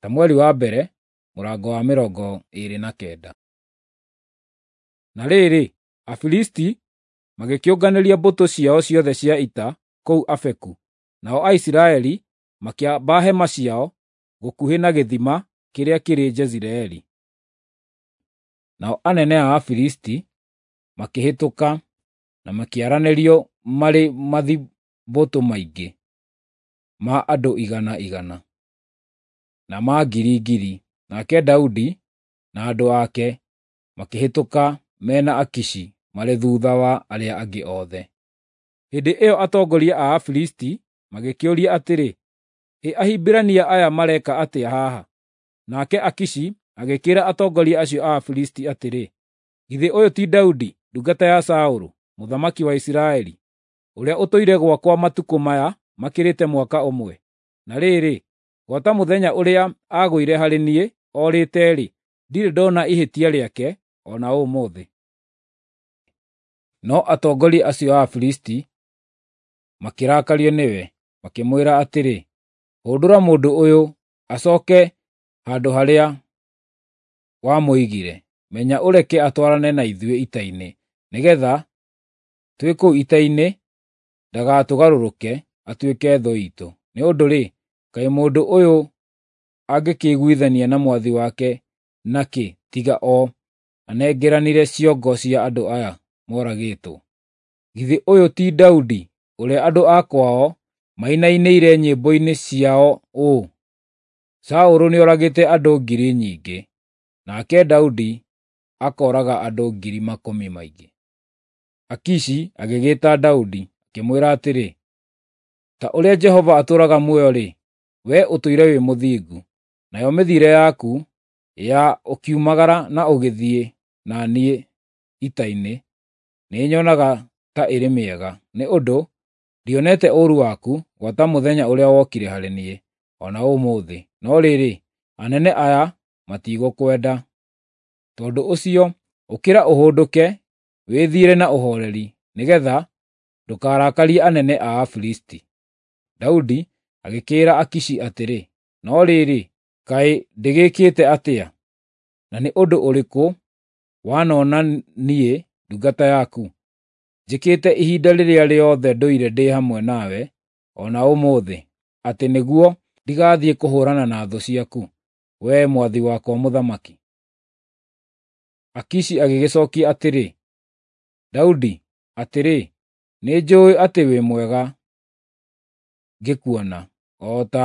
Samueli wa mbere mũrango wa 29. Na rĩrĩ, Afilisti magĩkĩũnganĩria mbũtũ ciao ciothe cia ita kũu Afeku, nao Aisiraeli makĩamba hema ciao gũkuhĩ na gĩthima kĩrĩa kĩrĩ Jezireeli. Nao anene a Afilisti makĩhĩtũka na makĩaranĩrio marĩ mathibũtũ maingĩ ma andũ igana igana, na ma ngiri ngiri, nake Daudi na andũ ake makĩhĩtũka me na Akishi marĩ thuutha wa arĩa angĩ othe. Hĩndĩ ĩyo atongoria a Afilisti magĩkĩũria atĩrĩ, “Ĩ Ahibirania aya mareka atĩa haha?” Nake Akishi agĩkĩĩra atongoria acio a Afilisti atĩrĩ, “Githĩ ũyũ ti Daudi, ndungata ya Saũlũ, mũthamaki wa Isiraeli, ũrĩa ũtũire gwakwa matukũ maya makĩrĩte mwaka ũmwe? Na rĩrĩ, gwata mũthenya ũrĩa aagũire harĩ niĩ orĩte-rĩ, ndirĩ ndona ihĩtia rĩake o na ũmũthĩ.” No atongoria acio a Afilisti makĩrakario nĩwe, makĩmwĩra atĩrĩ, “Hũndũra mũndũ ũyũ acooke handũ harĩa wamũigire. Menya ũreke atwarane na ithuĩ ita-inĩ, nĩgeetha twĩ kũu ita-inĩ ndagatũgarũrũke atuĩke thũ iitũ. Nĩ ũndũ-rĩ, kaĩ mũndũ ũyũ angĩkĩiguithania na mwathi wake nakĩ tiga o anengeranire ciongo cia andũ aya moragĩtwo? Githĩ ũyũ ti Daudi ũrĩa andũ a kwao mainainĩire nyĩmbo-inĩ ciao ũũ: ‘Saũlũ nĩoragĩte andũ ngiri nyingĩ, nake Daudi akooraga andũ ngiri makũmi maingĩ’?” Akishi agĩgĩĩta Daudi, akĩmwĩra atĩrĩ, “Ta ũrĩa Jehova atũũraga muoyo-rĩ, wee ũtũire wĩ mũthingu, nayo mĩthiĩre yaku ya ũkiumagara na ũgĩthiĩ na niĩ ita-inĩ nĩnyonaga ta ĩrĩ mĩega, nĩ ũndũ ndionete ũũru waku gwata mũthenya ũrĩa wokire harĩ niĩ, o na ũmũthĩ. No rĩrĩ, anene aya matigũkwenda. Tondũ ũcio ũkĩra ũhũndũke wĩthiĩre na ũhooreri, nĩgeetha ndũkarakarie anene a Afilisti.” Daudi agĩkĩĩra Akishi atĩrĩ, “No rĩrĩ, kaĩ ndĩgĩkĩte atĩa? Na nĩ ũndũ ũrĩkũ wanona niĩ ndungata yaku njĩkĩte ihinda rĩrĩa rĩothe ndũire ndĩ hamwe nawe o na ũmũthĩ, atĩ nĩguo ndigathiĩ kũhũũrana na thũ ciaku, wee mwathi wakwa mũthamaki?” Akishi agĩgĩcookia atĩrĩ, “Daudi, atĩrĩ, nĩnjũũĩ atĩ wĩ mwega ngĩkuona, o ta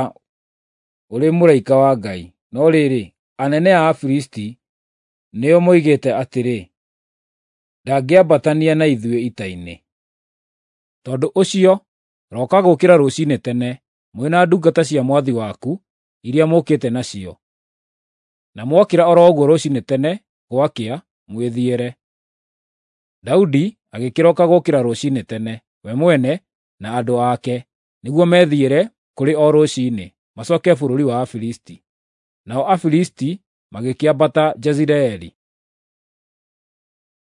ũrĩ mũraika wa Ngai. No rĩrĩ, anene a Afilisti nĩo moigĩte atĩrĩ, ‘Ndangĩambatania na ithuĩ ita-inĩ.’ Tondũ ũcio roka gũũkĩra rũciinĩ tene, mwĩ na ndungata cia mwathi waku iria mũũkĩte nacio. Na mwokĩra o ro ũguo rũciinĩ tene gwakĩa, mwĩthiĩre.” Daudi agĩkĩroka gũũkĩra rũciinĩ tene, we mwene na andũ ake, nĩguo methiĩre kũrĩ o rũciinĩ, macooke bũrũri wa Afilisti. Nao Afilisti magĩkĩambata Jezireeli.